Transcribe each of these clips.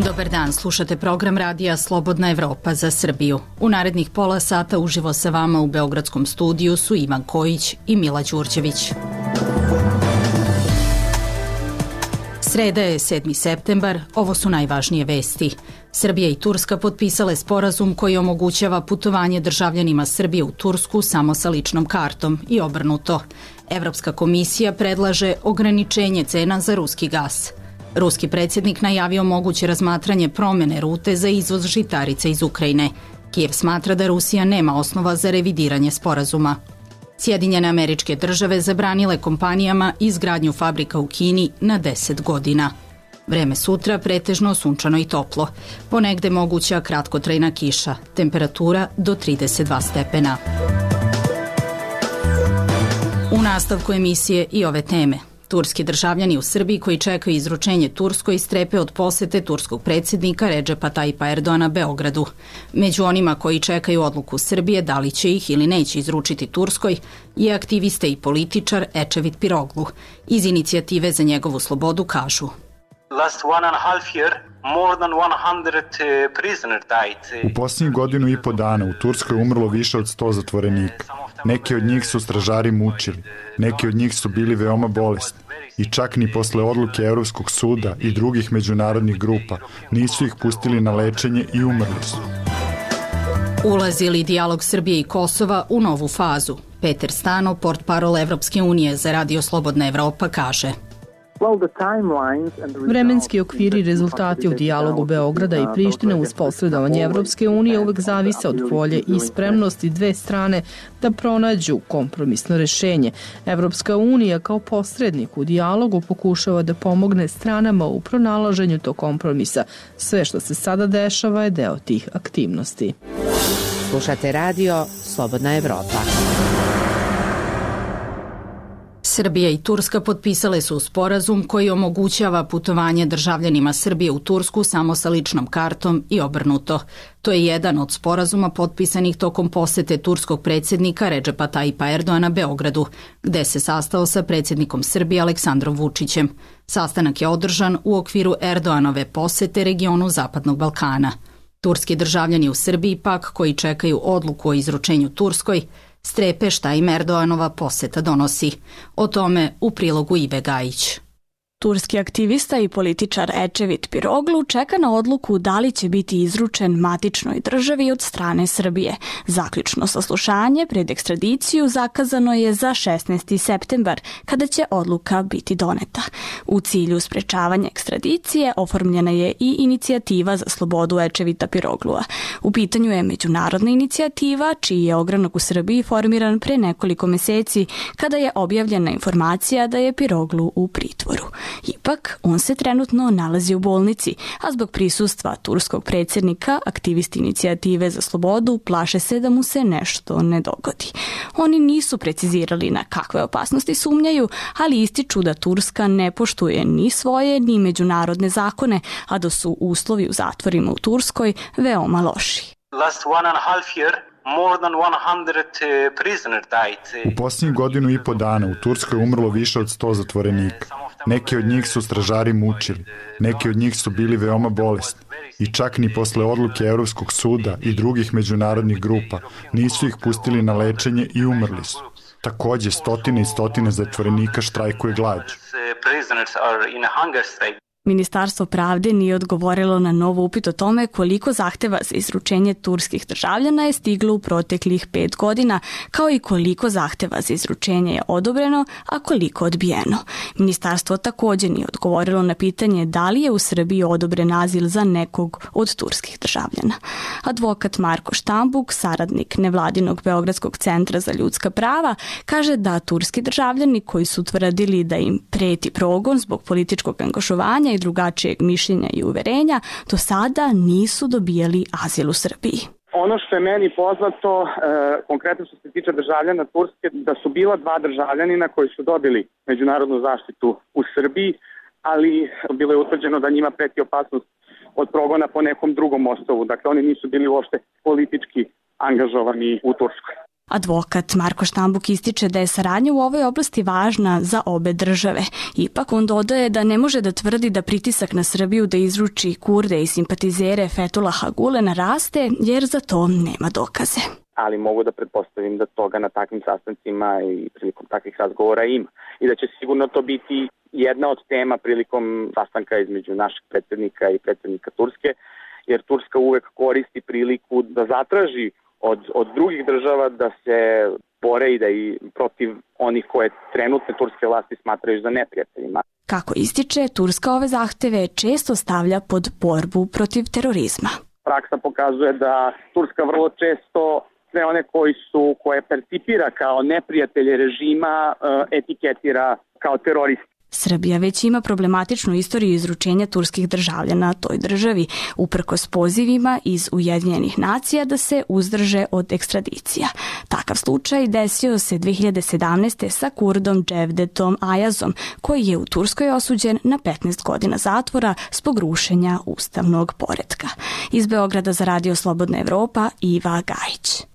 Dobar dan, slušate program radija Slobodna Evropa za Srbiju. U narednih pola sata uživo sa vama u Beogradskom studiju su Ivan Kojić i Mila Đurđević. Sreda je 7. septembar, ovo su najvažnije vesti. Srbija i Turska potpisale sporazum koji omogućava putovanje državljanima Srbije u Tursku samo sa ličnom kartom i obrnuto. Evropska komisija predlaže ograničenje cena za ruski gas. Ruski predsjednik najavio moguće razmatranje promene rute za izvoz žitarica iz Ukrajine. Kijev smatra da Rusija nema osnova za revidiranje sporazuma. Sjedinjene Američke Države zabranile kompanijama izgradnju fabrika u Kini na 10 godina. Vreme sutra pretežno sunčano i toplo. Ponegde moguća kratkotrajna kiša. Temperatura do 32 stepena. U nastavku emisije i ove teme. Turski državljani u Srbiji koji čekaju izručenje Turskoj strepe od posete turskog predsjednika Redžepa Tajipa Erdoana Beogradu. Među onima koji čekaju odluku Srbije da li će ih ili neće izručiti Turskoj je aktivista i političar Ečevit Piroglu. Iz inicijative za njegovu slobodu kažu: U posljednjih godinu i po dana u Turskoj umrlo više od 100 zatvorenika. Neki od njih su stražari mučili, neki od njih su bili veoma bolesni i čak ni posle odluke Evropskog suda i drugih međunarodnih grupa nisu ih pustili na lečenje i umrli su. Ulazi li dijalog Srbije i Kosova u novu fazu? Peter Stano, portparol Evropske unije za Radio Slobodna Evropa, kaže: Vremenski okviri i rezultati u dijalogu Beograda i Prištine uz posredovanje Evropske unije uvek zavise od volje i spremnosti dve strane da pronađu kompromisno rešenje. Evropska unija kao posrednik u dijalogu pokušava da pomogne stranama u pronalaženju tog kompromisa. Sve što se sada dešava je deo tih aktivnosti. Slušate radio Slobodna Evropa. Srbija i Turska potpisale su sporazum koji omogućava putovanje državljanima Srbije u Tursku samo sa ličnom kartom i obrnuto. To je jedan od sporazuma potpisanih tokom posete turskog predsjednika Redžepa Tajipa Erdoana Beogradu, gde se sastao sa predsjednikom Srbije Aleksandrom Vučićem. Sastanak je održan u okviru Erdoanove posete regionu Zapadnog Balkana. Turski državljani u Srbiji pak, koji čekaju odluku o izručenju Turskoj, strepe šta im Erdoanova poseta donosi. O tome u prilogu Ive Gajić. Turski aktivista i političar Ečevit Piroglu čeka na odluku da li će biti izručen matičnoj državi od strane Srbije. Zaključno saslušanje pred ekstradiciju zakazano je za 16. septembar, kada će odluka biti doneta. U cilju sprečavanja ekstradicije oformljena je i inicijativa za slobodu Ečevita Piroglua. U pitanju je međunarodna inicijativa, čiji je ogranak u Srbiji formiran pre nekoliko meseci, kada je objavljena informacija da je Piroglu u pritvoru. Ipak, on se trenutno nalazi u bolnici, a zbog prisustva turskog predsjednika, aktivisti inicijative za slobodu plaše se da mu se nešto ne dogodi. Oni nisu precizirali na kakve opasnosti sumnjaju, ali ističu da Turska ne poštuje ni svoje ni međunarodne zakone, a da su uslovi u zatvorima u Turskoj veoma loši. U posljednjih godinu i po dana u Turskoj umrlo više od 100 zatvorenika. Neki od njih su stražari mučili, neki od njih su bili veoma bolesni i čak ni posle odluke Evropskog suda i drugih međunarodnih grupa nisu ih pustili na lečenje i umrli su. Takođe, stotine i stotine zatvorenika štrajkuje glađu. Ministarstvo pravde nije odgovorilo na nov upit o tome koliko zahteva za izručenje turskih državljana je stiglo u proteklih 5 godina, kao i koliko zahteva za izručenje je odobreno, a koliko odbijeno. Ministarstvo također nije odgovorilo na pitanje da li je u Srbiji odobren azil za nekog od turskih državljana. Advokat Marko Štambuk, saradnik nevladinog Beogradskog centra za ljudska prava, kaže da turski državljani koji su tvrdili da im preti progon zbog političkog angažovanja i drugačijeg mišljenja i uverenja, do sada nisu dobijali azil u Srbiji. Ono što je meni poznato, konkretno što se tiče državljana Turske, da su bila 2 državljanina koji su dobili međunarodnu zaštitu u Srbiji, ali bilo je utvrđeno da njima preti opasnost od progona po nekom drugom osnovu. Dakle, oni nisu bili uopšte politički angažovani u Turskoj. Advokat Marko Štambuk ističe da je saradnja u ovoj oblasti važna za obe države. Ipak on dodaje da ne može da tvrdi da pritisak na Srbiju da izruči Kurde i simpatizere Fethullaha Gulena raste, jer za to nema dokaze. Ali mogu da pretpostavim da toga na takvim sastancima i prilikom takvih razgovora ima. I da će sigurno to biti jedna od tema prilikom sastanka između našeg predsjednika i predsjednika Turske, jer Turska uvek koristi priliku da zatraži od drugih država da se bore i da i protiv onih koje trenutne turske vlasti smatraju za neprijateljima. Kako ističe, Turska ove zahteve često stavlja pod borbu protiv terorizma. Praksa pokazuje da Turska vrlo često sve one koje percipira kao neprijatelje režima etiketira kao teroristi. Srbija već ima problematičnu istoriju izručenja turskih državljana toj državi, uprkos pozivima iz Ujedinjenih nacija da se uzdrže od ekstradicija. Takav slučaj desio se 2017. sa Kurdom Cevdetom Ayazom, koji je u Turskoj osuđen na 15 godina zatvora zbog rušenja ustavnog poretka. Iz Beograda za Radio Slobodna Evropa, Iva Gajić.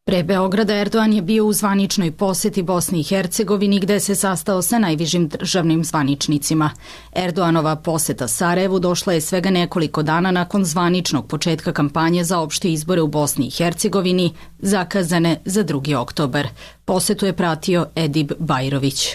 Pre Beograda Erdogan je bio u zvaničnoj poseti Bosni i Hercegovini gde se sastao sa najvišim državnim zvaničnicima. Erdoganova poseta Sarajevu došla je svega nekoliko dana nakon zvaničnog početka kampanje za opšte izbore u Bosni i Hercegovini, zakazane za 2. oktobar. Posetu je pratio Edip Bajrović.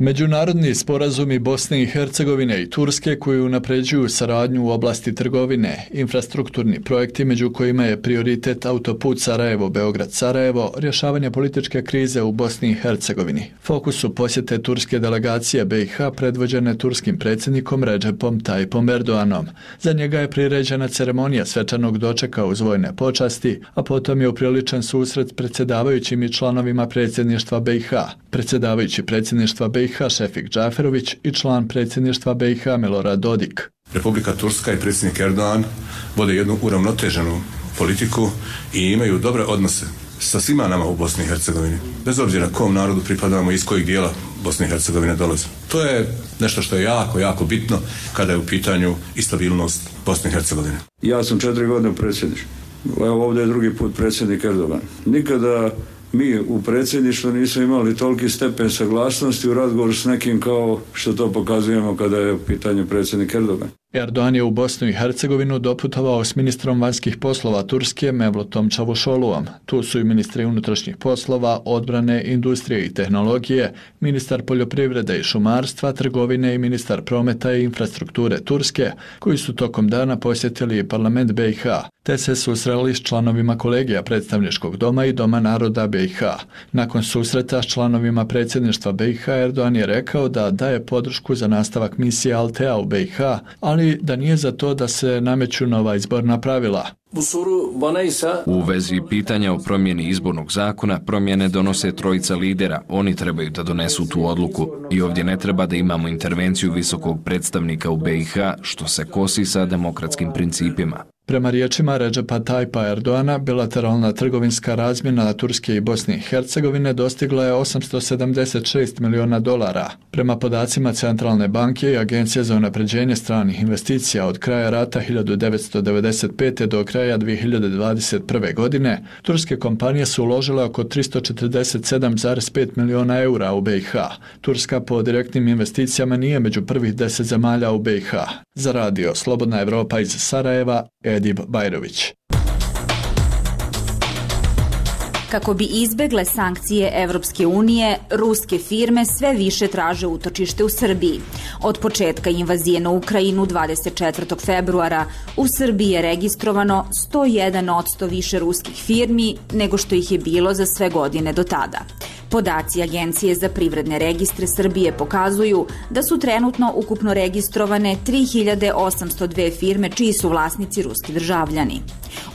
Međunarodni sporazumi Bosne i Hercegovine i Turske koji unapređuju saradnju u oblasti trgovine, infrastrukturni projekti među kojima je prioritet autoput Sarajevo-Beograd-Sarajevo, rješavanje političke krize u Bosni i Hercegovini. Fokus su posjete turske delegacije BiH predvođene turskim predsjednikom Recepom Tayyipom Erdoganom. Za njega je priređena ceremonija svečanog dočeka uz vojne počasti, a potom je upriličen susret s predsjedavajućim i članovima predsjedništva BiH. Predsjedavajući predsjedništva BiH Šefik Džaferović i član predsjedništva BiH Milorad Dodik. Republika Turska i predsjednik Erdogan vode jednu uravnoteženu politiku i imaju dobre odnose sa svima nama u Bosni i Hercegovini, bez obzira kom narodu pripadamo i iz kojeg dijela Bosne i Hercegovine dolaze. To je nešto što je jako, jako bitno kada je u pitanju i stabilnost Bosne i Hercegovine. Ja sam 4 godine predsjednik. Evo ovdje je drugi put predsjednik Erdogan. Nikada mi u predsjedništvu nismo imali toliki stepen saglasnosti u razgovoru s nekim kao što to pokazujemo kada je u pitanju predsjednik Erdogan. Erdogan je u Bosnu i Hercegovinu doputovao s ministrom vanjskih poslova Turske Mevlutom Čavuşoğluom. Tu su i ministri unutrašnjih poslova, odbrane, industrije i tehnologije, ministar poljoprivrede i šumarstva, trgovine i ministar prometa i infrastrukture Turske, koji su tokom dana posjetili parlament BiH, te se susreli s članovima kolegija predstavničkog doma i Doma naroda BiH. Nakon susreta s članovima predsjedništva BiH, Erdogan je rekao da daje podršku za nastavak misije Altea u BiH, ali da nije za to da se nameću nova izborna pravila. U vezi pitanja o promjeni izbornog zakona, promjene donose trojica lidera. Oni trebaju da donesu tu odluku i ovdje ne treba da imamo intervenciju visokog predstavnika u BiH, što se kosi sa demokratskim principima. Prema riječima Recepa Tayyipa Erdoana, bilateralna trgovinska razmjena Turske i Bosne i Hercegovine dostigla je $876 miliona. Prema podacima Centralne banke i Agencije za unapređenje stranih investicija od kraja rata 1995. do kraja 2021. godine, turske kompanije su uložile oko 347,5 miliona eura u BiH. Turska po direktnim investicijama nije među prvih 10 zemalja u BiH. Za Radio Slobodna Evropa iz Sarajeva, Edip Bajrović. Kako bi izbegle sankcije Evropske unije, ruske firme sve više traže utočište u Srbiji. Od početka invazije na Ukrajinu 24. februara u Srbiji je registrovano 101% više ruskih firmi nego što ih je bilo za sve godine do tada. Podaci Agencije za privredne registre Srbije pokazuju da su trenutno ukupno registrovane 3802 firme čiji su vlasnici ruski državljani.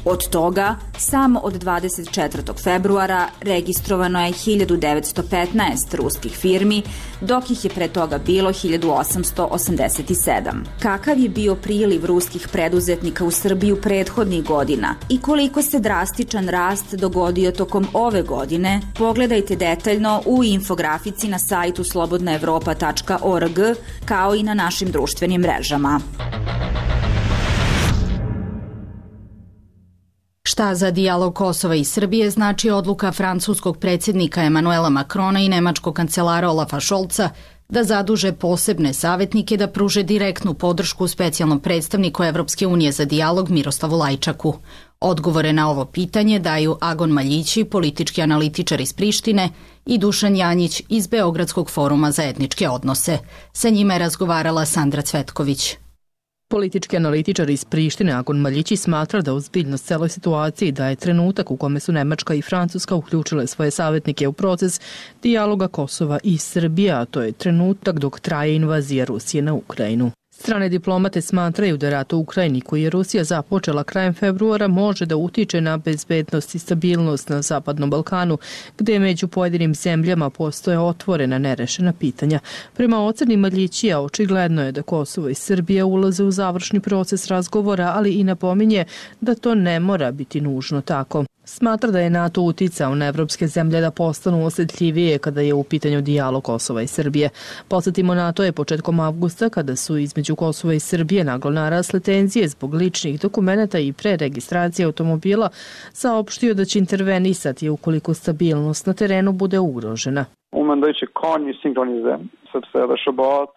Od toga, samo od 24. februara registrovano je 1915 ruskih firmi, dok ih je pre toga bilo 1887. Kakav je bio priliv ruskih preduzetnika u Srbiju prethodnih godina i koliko se drastičan rast dogodio tokom ove godine, pogledajte detaljno u infografici na sajtu slobodnaevropa.org kao i na našim društvenim mrežama. Šta za dijalog Kosova i Srbije znači odluka francuskog predsjednika Emanuela Macrona i nemačkog kancelara Olafa Scholza da zaduže posebne savjetnike da pruže direktnu podršku specijalnom predstavniku Evropske unije za dijalog Miroslavu Lajčaku. Odgovore na ovo pitanje daju Agon Maljići, politički analitičar iz Prištine, i Dušan Janjić iz Beogradskog foruma za etničke odnose. Sa njima je razgovarala Sandra Cvetković. Politički analitičar iz Prištine Agon Maljići smatra da ozbiljnost celoj situaciji daje trenutak u kome su Nemačka i Francuska uključile svoje savjetnike u proces dijaloga Kosova i Srbije, a to je trenutak dok traje invazija Rusije na Ukrajinu. Strane diplomate smatraju da rat u Ukrajini, koji je Rusija započela krajem februara, može da utiče na bezbednost i stabilnost na Zapadnom Balkanu, gde među pojedinim zemljama postoje otvorena nerešena pitanja. Prema oceni Maljićija, očigledno je da Kosovo i Srbija ulaze u završni proces razgovora, ali i napominje da to ne mora biti nužno tako. Smatra da je NATO uticao na evropske zemlje da postanu osjetljivije kada je u pitanju dijalog Kosova i Srbije. Podsjetimo, NATO je početkom avgusta, kada su između Kosova i Srbije naglo narasle tenzije zbog ličnih dokumenata i preregistracije automobila, saopštio da će intervenisati ukoliko stabilnost na terenu bude ugrožena.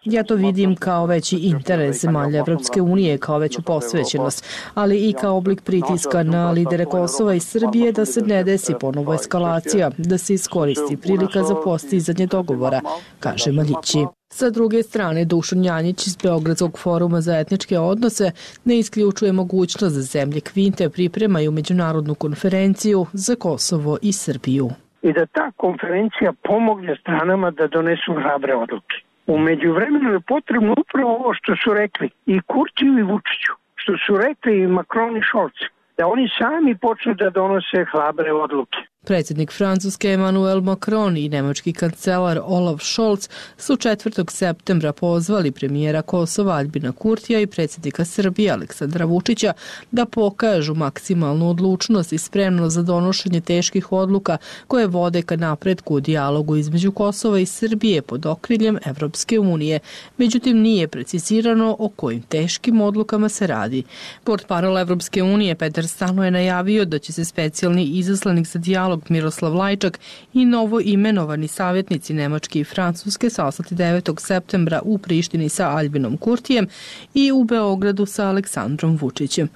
Ja to vidim kao veći interes zemalja Evropske unije, kao veću posvećenost, ali i kao oblik pritiska na lidere Kosova i Srbije da se ne desi ponovo eskalacija, da se iskoristi prilika za postizanje dogovora, kaže Maljići. Sa druge strane, Dušan Janjić iz Beogradskog foruma za etničke odnose ne isključuje mogućnost da zemlje Kvinte pripremaju međunarodnu konferenciju za Kosovo i Srbiju. I da ta konferencija pomogne stranama da donesu hrabre odluke. U međuvremenu je potrebno upravo ovo što su rekli i Kurtiju i Vučiću, što su rekli i Macron i Scholz, da oni sami počnu da donose hrabre odluke. Predsjednik Francuske Emmanuel Macron i nemački kancelar Olaf Scholz su 4. septembra pozvali premijera Kosova Aljbina Kurtija i predsjednika Srbije Aleksandra Vučića da pokažu maksimalnu odlučnost i spremnost za donošenje teških odluka koje vode ka napretku u dijalogu između Kosova i Srbije pod okriljem Evropske unije. Međutim, nije precizirano o kojim teškim odlukama se radi. Portparol Evropske unije Petar Stano je najavio da će se specijalni izaslanik za dijalog Miroslav Lajčak i novo imenovani savjetnici Nemačke i Francuske sastati 9. septembra u Prištini sa Aljbinom Kurtijem i u Beogradu sa Aleksandrom Vučićem.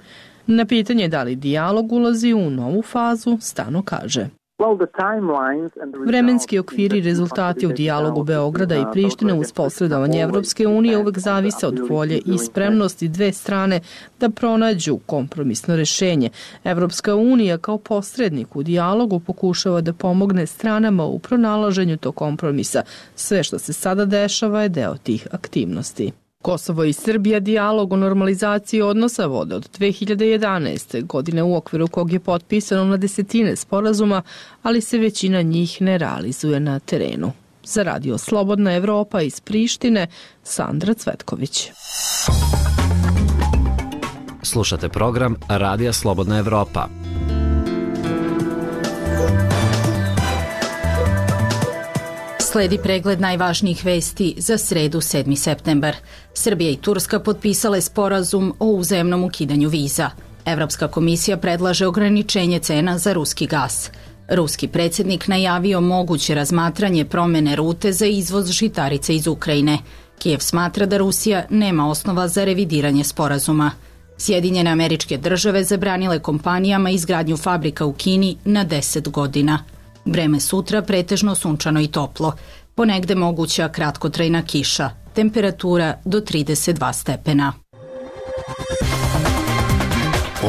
Na pitanje da li dijalog ulazi u novu fazu, Stano kaže: vremenski okviri i rezultati u dijalogu Beograda i Prištine uz posredovanje Evropske unije uvek zavise od volje i spremnosti dve strane da pronađu kompromisno rešenje. Evropska unija kao posrednik u dijalogu pokušava da pomogne stranama u pronalaženju tog kompromisa. Sve što se sada dešava je deo tih aktivnosti. Kosovo i Srbija dijalog o normalizaciji odnosa vode od 2011. godine u okviru kog je potpisano na desetine sporazuma, ali se većina njih ne realizuje na terenu. Za Radio Slobodna Evropa iz Prištine, Sandra Cvetković. Slušate program Radija Slobodna Evropa. Sledi pregled najvažnijih vesti za sredu 7. septembar. Srbija i Turska potpisale sporazum o uzajamnom ukidanju viza. Evropska komisija predlaže ograničenje cena za ruski gas. Ruski predsjednik najavio moguće razmatranje promene rute za izvoz žitarica iz Ukrajine. Kijev smatra da Rusija nema osnova za revidiranje sporazuma. Sjedinjene Američke Države zabranile kompanijama izgradnju fabrika u Kini na 10 godina. Vreme sutra pretežno sunčano i toplo. Ponegde moguća kratkotrajna kiša. Temperatura do 32 stepena.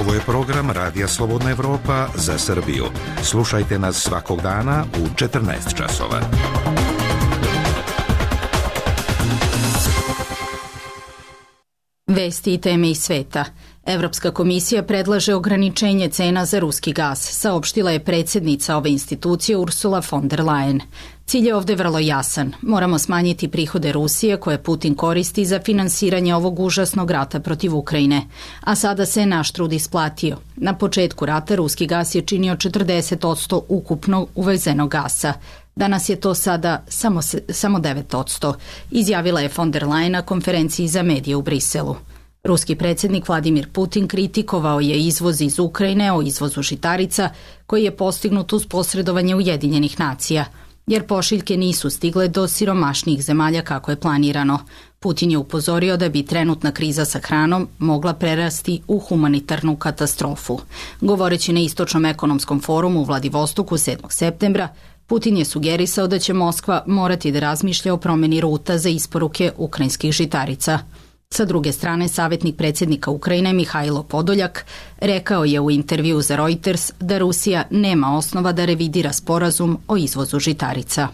Ovo je program Radija Slobodna Evropa za Srbiju. Slušajte nas svakog dana u 14 časova. Vesti i teme iz sveta. Evropska komisija predlaže ograničenje cena za ruski gas, saopštila je predsjednica ove institucije Ursula von der Leyen. Cilj je ovde vrlo jasan. Moramo smanjiti prihode Rusije koje Putin koristi za finansiranje ovog užasnog rata protiv Ukrajine. A sada se naš trud isplatio. Na početku rata ruski gas je činio 40% ukupno uvezenog gasa. Danas je to sada samo 9%, izjavila je von der Leyen na konferenciji za medije u Briselu. Ruski predsjednik Vladimir Putin kritikovao je izvoz iz Ukrajine o izvozu žitarica koji je postignut uz posredovanje Ujedinjenih nacija, jer pošiljke nisu stigle do siromašnijih zemalja kako je planirano. Putin je upozorio da bi trenutna kriza sa hranom mogla prerasti u humanitarnu katastrofu. Govoreći na Istočnom ekonomskom forumu u Vladivostoku 7. septembra, Putin je sugerisao da će Moskva morati da razmišlja o promjeni ruta za isporuke ukrajinskih žitarica. Sa druge strane, savjetnik predsjednika Ukrajine Mihajlo Podoljak rekao je u intervju za Reuters da Rusija nema osnova da revidira sporazum o izvozu žitarica.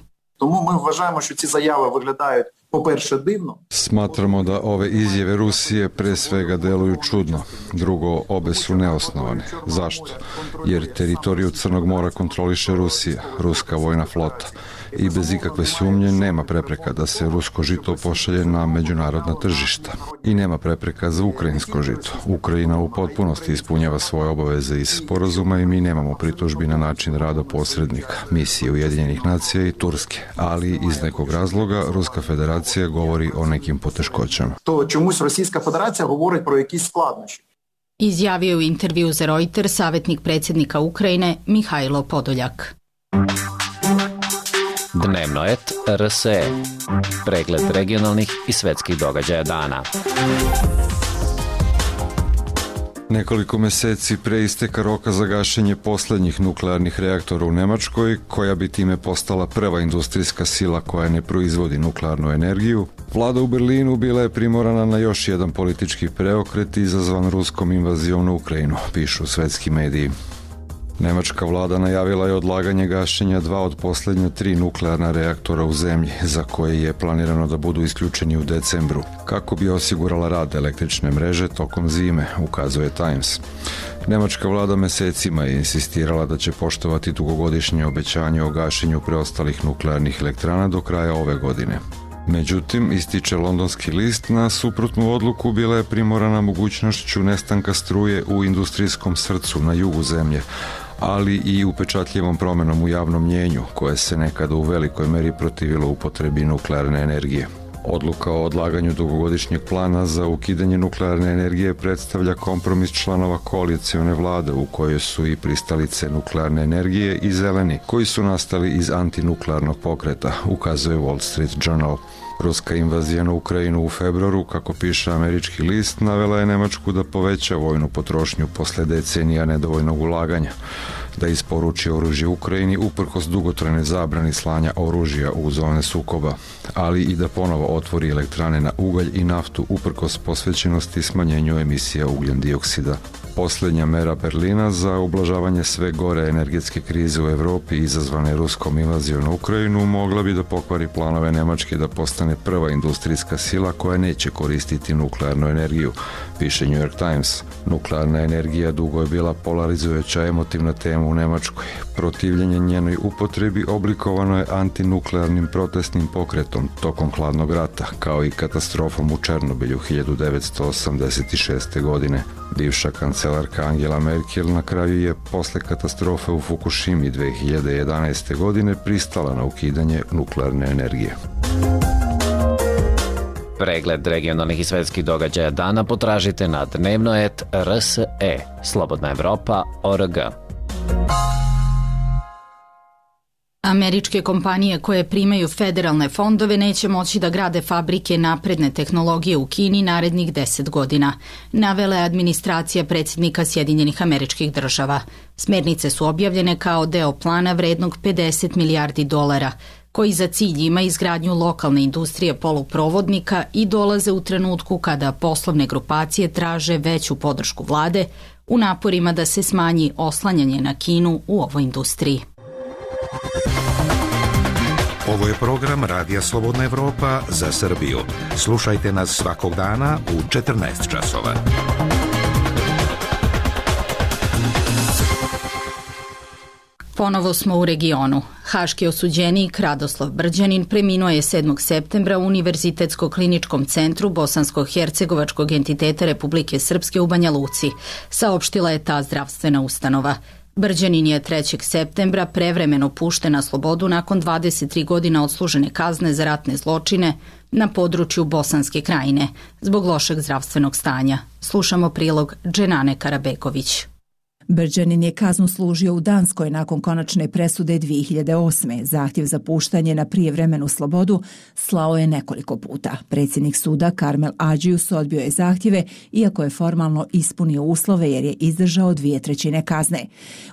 Smatramo da ove izjave Rusije pre svega deluju čudno. Drugo, obe su neosnovane. Zašto? Jer teritoriju Crnog mora kontroliše Rusija, ruska vojna flota. I bez ikakve sumnje nema prepreka da se rusko žito pošalje na međunarodna tržišta. I nema prepreka za ukrajinsko žito. Ukrajina u potpunosti ispunjava svoje obaveze iz sporazuma i mi nemamo pritužbi na način rada posrednika, misije Ujedinjenih nacija i Turske. Ali iz nekog razloga Ruska federacija govori o nekim poteškoćama. To čemuсь Rosijska federacija govori pro jakісь skladnoći. Izjavio u intervju za Reuters savjetnik predsjednika Ukrajine Mihajlo Podoljak. Dnevno et RSE. Pregled regionalnih i svetskih događaja dana. Nekoliko meseci pre isteka roka za gašenje poslednjih nuklearnih reaktora u Nemačkoj, koja bi time postala prva industrijska sila koja ne proizvodi nuklearnu energiju, vlada u Berlinu bila je primorana na još jedan politički preokret izazvan ruskom invazijom na Ukrajinu, pišu svetski mediji. Nemačka vlada najavila je odlaganje gašenja 2 od posljednja 3 nuklearna reaktora u zemlji, za koje je planirano da budu isključeni u decembru, kako bi osigurala rad električne mreže tokom zime, ukazuje Times. Nemačka vlada mesecima je insistirala da će poštovati dugogodišnje obećanje o gašenju preostalih nuklearnih elektrana do kraja ove godine. Međutim, ističe londonski list, na suprotnu odluku bila je primorana mogućnošću nestanka struje u industrijskom srcu na jugu zemlje, ali i upečatljivom promenom u javnom mnjenju, koje se nekada u velikoj meri protivilo upotrebi nuklearne energije. Odluka o odlaganju dugogodišnjeg plana za ukidanje nuklearne energije predstavlja kompromis članova koalicione vlade u kojoj su i pristalice nuklearne energije i zeleni, koji su nastali iz antinuklearnog pokreta, ukazuje Wall Street Journal. Ruska invazija na Ukrajinu u februaru, kako piše američki list, navela je Nemačku da poveća vojnu potrošnju posle decenija nedovoljnog ulaganja, da isporuči oružje Ukrajini uprkos dugotrajne zabrani slanja oružja u zone sukoba, ali i da ponovo otvori elektrane na ugalj i naftu uprkos posvećenosti smanjenju emisija ugljen dioksida. Posljednja mera Berlina za ublažavanje sve gore energetske krize u Evropi izazvane ruskom invazijom na Ukrajinu mogla bi da pokvari planove Nemačke da postane prva industrijska sila koja neće koristiti nuklearnu energiju, piše New York Times. Nuklearna energija dugo je bila polarizujuća emotivna tema u Nemačkoj. Protivljenje njenoj upotrebi oblikovano je antinuklearnim protestnim pokretom tokom hladnog rata, kao i katastrofom u Černobilju 1986. godine. Bivša kancelarka Angela Merkel na kraju je posle katastrofe u Fukushimi 2011. godine pristala na ukidanje nuklearne energije. Pregled regionalnih i svetskih događaja dana potražite na dnevno.rs.e, slobodnaevropa.org. Američke kompanije koje primaju federalne fondove neće moći da grade fabrike napredne tehnologije u Kini narednih 10 godina, navela je administracija predsjednika Sjedinjenih Američkih Država. Smernice su objavljene kao deo plana vrednog $50 milijardi, koji za cilj ima izgradnju lokalne industrije poluprovodnika i dolaze u trenutku kada poslovne grupacije traže veću podršku vlade u naporima da se smanji oslanjanje na Kinu u ovoj industriji. Ovo je program Radija Slobodna Evropa za Srbiju. Slušajte nas svakog dana u 14 časova. Ponovo smo u regionu. Haški osuđenik Radoslav Brđanin preminuo je 7. septembra u Univerzitetsko-kliničkom centru Bosansko-hercegovačkog entiteta Republike Srpske u Banja Luci, saopštila je ta zdravstvena ustanova. Brđanin je 3. septembra prevremeno pušten na slobodu nakon 23 godina odslužene kazne za ratne zločine na području Bosanske Krajine zbog lošeg zdravstvenog stanja. Slušamo prilog Dženane Karabeković. Brđanin je kaznu služio u Danskoj nakon konačne presude 2008. Zahtjev za puštanje na prijevremenu slobodu slao je nekoliko puta. Predsjednik suda Karmel Adžius odbio je zahtjeve, iako je formalno ispunio uslove jer je izdržao 2/3 kazne.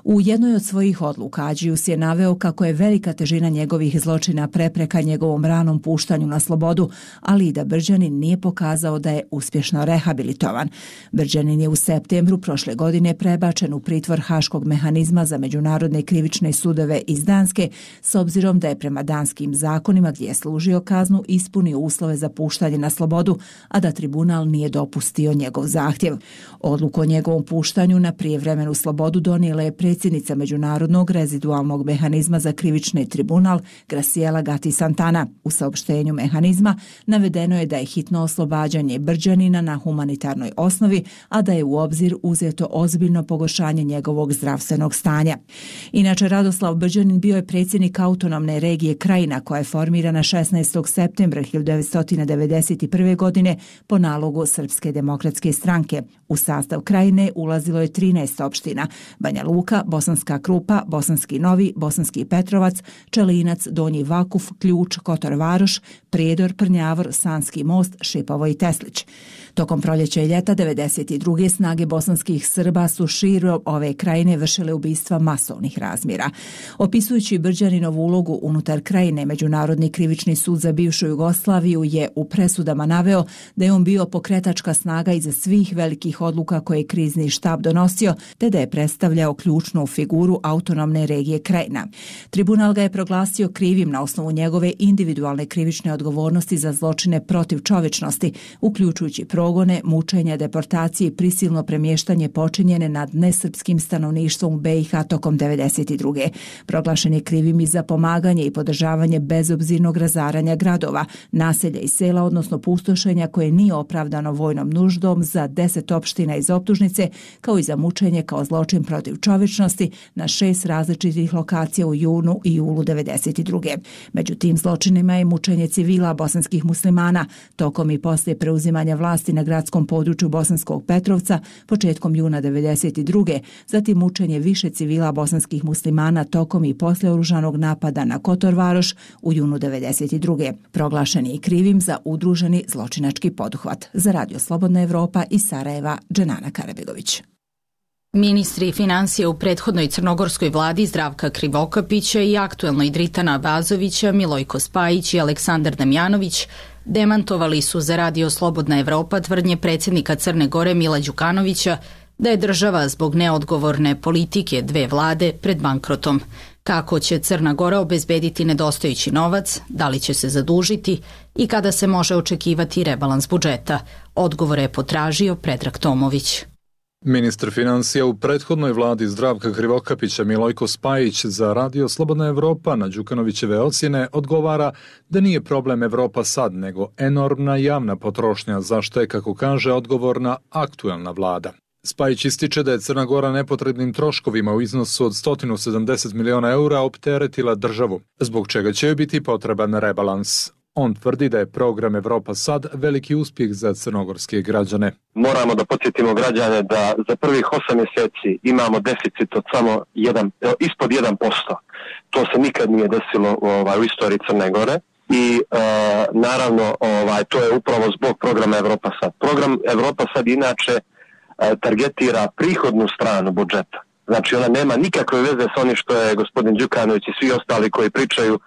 U jednoj od svojih odluka Adžius je naveo kako je velika težina njegovih zločina prepreka njegovom ranom puštanju na slobodu, ali i da Brđanin nije pokazao da je uspješno rehabilitovan. Brđanin je u septembru prošle godine prebačen u pritvor Haškog mehanizma za međunarodne krivične sudove iz Danske, s obzirom da je prema danskim zakonima gdje je služio kaznu ispunio uslove za puštanje na slobodu, a da tribunal nije dopustio njegov zahtjev. Odluku o njegovom puštanju na prijevremenu slobodu donijela je predsjednica Međunarodnog rezidualnog mehanizma za krivični tribunal Graciela Gatti Santana. U saopštenju mehanizma navedeno je da je hitno oslobađanje Brđanina na humanitarnoj osnovi, a da je u obzir uzeto ozbiljno pogoršanje njegovog zdravstvenog stanja. Inače, Radoslav Brđanin bio je predsjednik autonomne regije Krajina koja je formirana 16. septembra 1991. godine po nalogu Srpske demokratske stranke. U sastav Krajine ulazilo je 13 opština: Banja Luka, Bosanska Krupa, Bosanski Novi, Bosanski Petrovac, Čelinac, Donji Vakuf, Ključ, Kotor Varoš, Prijedor, Prnjavor, Sanski Most, Šipovo i Teslić. Tokom proljeća i ljeta 92. snage bosanskih Srba su širom ove krajine vršile ubistva masovnih razmjera. Opisujući Brđaninovu ulogu unutar krajine, Međunarodni krivični sud za bivšu Jugoslaviju je u presudama naveo da je on bio pokretačka snaga iza svih velikih odluka koje je krizni štab donosio, te da je predstavljao ključnu figuru autonomne regije Krajina. Tribunal ga je proglasio krivim na osnovu njegove individualne krivične odgovornosti za zločine protiv čovječnosti, uključujući progone, mučenja, deportacije i prisilno premještanje počinjene nad nesrpskim stanovništvom u BiH tokom 92. Proglašen je krivim i za pomaganje i podržavanje bezobzirnog razaranja gradova, naselja i sela, odnosno pustošenja koje nije opravdano vojnom nuždom za 10 opština iz optužnice, kao i za mučenje kao zločin protiv čovječnosti na 6 različitih lokacija u junu i julu 92. Među tim zločinima je mučenje civila bosanskih muslimana tokom i poslije preuzimanja vlasti na gradskom području Bosanskog Petrovca početkom juna 92. Zatim mučenje više civila bosanskih muslimana tokom i poslije oružanog napada na Kotor Varoš u junu 92. Proglašen je i krivim za udruženi zločinački poduhvat. Za Radio Slobodna Evropa iz Sarajeva, Dženana Karabegović. Ministri financija u prethodnoj crnogorskoj vladi Zdravka Krivokapića i aktuelnoj Dritana Bazovića, Milojko Spajić i Aleksandar Damjanović demantovali su za Radio Slobodna Evropa tvrdnje predsjednika Crne Gore Mila Đukanovića da je država zbog neodgovorne politike dve vlade pred bankrotom. Kako će Crna Gora obezbediti nedostajući novac, da li će se zadužiti i kada se može očekivati rebalans budžeta? Odgovore je potražio Predrag Tomović. Ministar financija u prethodnoj vladi Zdravka Krivokapića Milojko Spajić za Radio Slobodna Evropa na Đukanovićeve ocjene odgovara da nije problem Evropa sad, nego enormna javna potrošnja, za što je, kako kaže, odgovorna aktuelna vlada. Spajić ističe da je Crna Gora nepotrebnim troškovima u iznosu od 170 miliona eura opteretila državu, zbog čega će joj biti potreban rebalans. On tvrdi da je program Evropa sad veliki uspjeh za crnogorske građane. Moramo da podsjetimo građane da za prvih 8 mjeseci imamo deficit od samo ispod 1%. To se nikad nije desilo u istoriji Crne Gore i naravno to je upravo zbog programa Evropa sad. Program Evropa sad inače targetira prihodnu stranu budžeta. Znači ona nema nikakve veze s onim što je gospodin Đukanović i svi ostali koji pričaju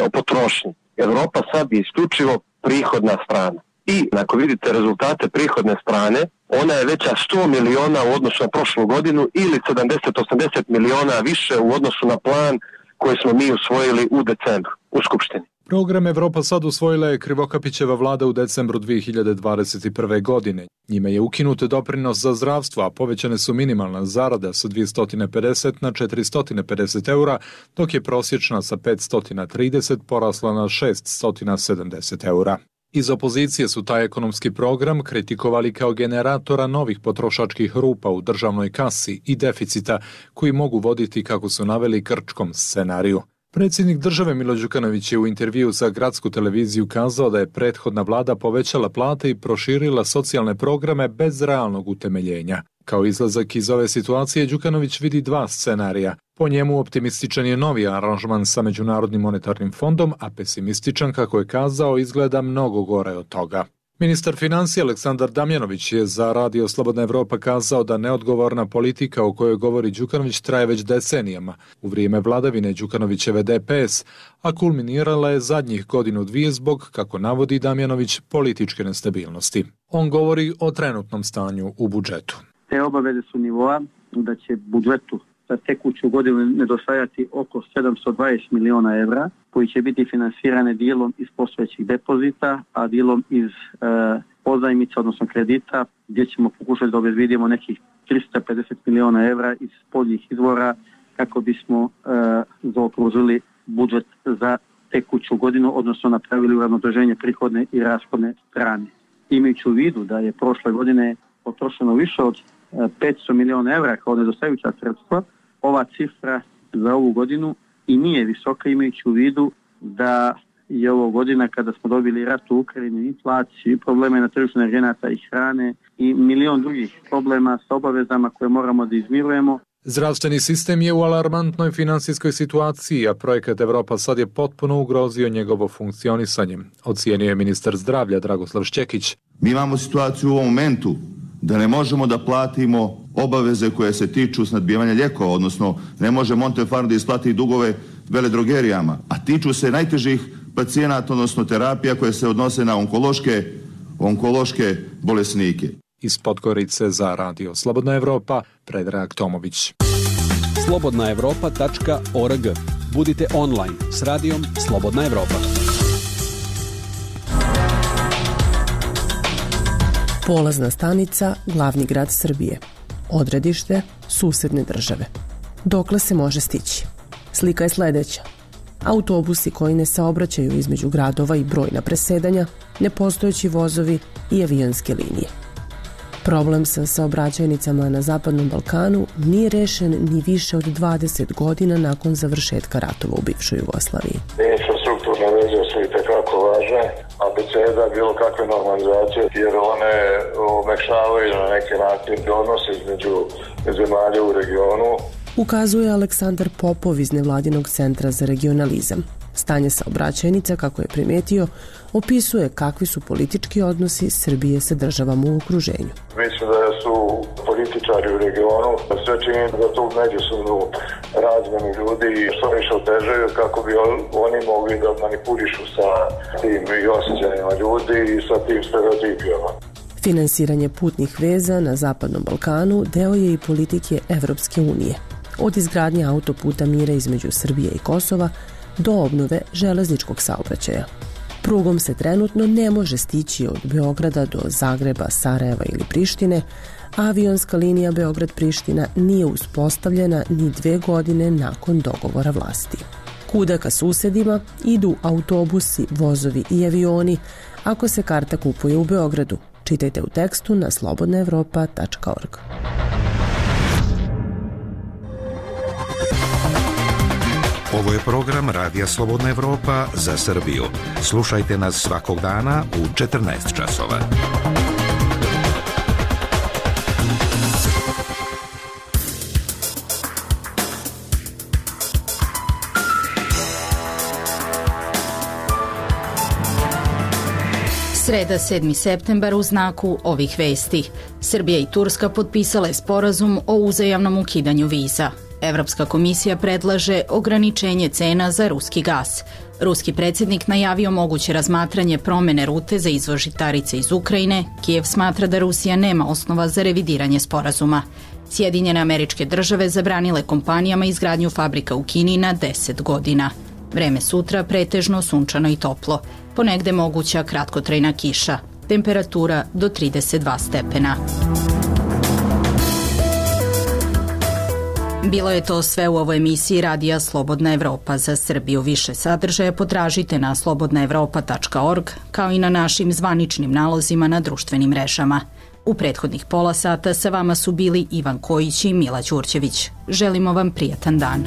o potrošnji. Evropa sad je isključivo prihodna strana. I ako vidite rezultate prihodne strane, ona je veća 100 miliona u odnosu na prošlu godinu ili 70-80 miliona više u odnosu na plan koji smo mi usvojili u decembru u Skupštini. Program Evropa sad usvojila je Krivokapićeva vlada u decembru 2021. godine. Njime je ukinut doprinos za zdravstvo, a povećane su minimalna zarada sa 250 na 450 eura, dok je prosječna sa 530 porasla na 670 eura. Iz opozicije su taj ekonomski program kritikovali kao generatora novih potrošačkih rupa u državnoj kasi i deficita koji mogu voditi, kako su naveli, grčkom scenariju. Predsjednik države Milo Đukanović je u intervju za gradsku televiziju kazao da je prethodna vlada povećala plate i proširila socijalne programe bez realnog utemeljenja. Kao izlazak iz ove situacije Đukanović vidi dva scenarija. Po njemu optimističan je novi aranžman sa Međunarodnim monetarnim fondom, a pesimističan, kako je kazao, izgleda mnogo gore od toga. Ministar financija Aleksandar Damjanović je za Radio Slobodna Evropa kazao da neodgovorna politika o kojoj govori Đukanović traje već decenijama, u vrijeme vladavine Đukanovićeve DPS, a kulminirala je zadnjih godinu dvije zbog, kako navodi Damjanović, političke nestabilnosti. On govori o trenutnom stanju u budžetu. Te obaveze su nivoa da će budžetu za tekuću godinu nedostajati oko 720 miliona evra, koji će biti finansirane dijelom iz postojećih depozita, a dijelom iz pozajmica, odnosno kredita, gdje ćemo pokušati da obezbedimo nekih 350 miliona evra iz spoljnih izvora kako bismo zaokružili budžet za tekuću godinu, odnosno napravili uravnoteženje prihodne i rashodne strane. Imajući u vidu da je prošle godine potrošeno više od 500 miliona evra kao nedostajuća sredstva, ova cifra za ovu godinu i nije visoka, imajući u vidu da je ovo godina kada smo dobili rat u Ukrajini, inflaciju, probleme na tržištu energenata i hrane i milion drugih problema sa obavezama koje moramo da izmirujemo. Zdravstveni sistem je u alarmantnoj finansijskoj situaciji, a projekat Evropa sad je potpuno ugrozio njegovo funkcionisanje, ocijenio je ministar zdravlja Dragoslav Šćekić. Mi imamo situaciju u ovom momentu da ne možemo da platimo obaveze koje se tiču snadbijevanja lijekova, odnosno ne može Montefarm da isplati dugove veledrogerijama, a tiču se najtežih pacijenata, odnosno terapija koje se odnose na onkološke bolesnike. Iz Podgorice za Radio Slobodna Evropa, Predrag Tomović. slobodnaevropa.org. Budite online s radijom Slobodna Evropa. Polazna stanica, glavni grad Srbije. Odredište, susedne države. Dokle se može stići? Slika je sledeća. Autobusi koji ne saobraćaju između gradova i brojna presedanja, nepostojeći vozovi i avionske linije. Problem sa saobraćajnicama na Zapadnom Balkanu nije rešen ni više od 20 godina nakon završetka ratova u bivšoj Jugoslaviji. Infrastrukturne veze su i tekako važne, abeceda bilo kakve normalizacije, jer one omekšavaju na neki način odnos između zemalja u regionu. Ukazuje Aleksandar Popov iz Nevladinog centra za regionalizam. Stanje saobraćajnica, kako je primetio, opisuje kakvi su politički odnosi Srbije sa državama u okruženju. Mislim da su političari u regionu sve čini da tu međusobnu razmenu ljudi što više otežaju kako bi oni mogli da manipulišu sa tim i osjećanjima ljudi i sa tim stereotipijama. Finansiranje putnih veza na Zapadnom Balkanu deo je i politike Evropske unije. Od izgradnje autoputa mira između Srbije i Kosova do obnove železničkog saobraćaja. Prugom se trenutno ne može stići od Beograda do Zagreba, Sarajeva ili Prištine, a avionska linija Beograd-Priština nije uspostavljena ni 2 godine nakon dogovora vlasti. Kuda ka susedima idu autobusi, vozovi i avioni ako se karta kupuje u Beogradu. Čitajte u tekstu na slobodnaevropa.org. Ovo je program Radija Slobodna Evropa za Srbiju. Slušajte nas svakog dana u 14 časova. Sreda 7. septembar u znaku ovih vesti. Srbija i Turska potpisale sporazum o uzajamnom ukidanju viza. Evropska komisija predlaže ograničenje cena za ruski gas. Ruski predsjednik najavio moguće razmatranje promene rute za izvoz žitarica iz Ukrajine. Kijev smatra da Rusija nema osnova za revidiranje sporazuma. Sjedinjene Američke Države zabranile kompanijama izgradnju fabrika u Kini na 10 godina. Vreme sutra pretežno sunčano i toplo. Ponegde moguća kratkotrajna kiša. Temperatura do 32 stepena. Bilo je to sve u ovoj emisiji Radija Slobodna Evropa za Srbiju. Više sadržaja potražite na slobodnaevropa.org, kao i na našim zvaničnim nalozima na društvenim mrežama. U prethodnih pola sata sa vama su bili Ivan Kojić i Mila Ćurćević. Želimo vam prijatan dan.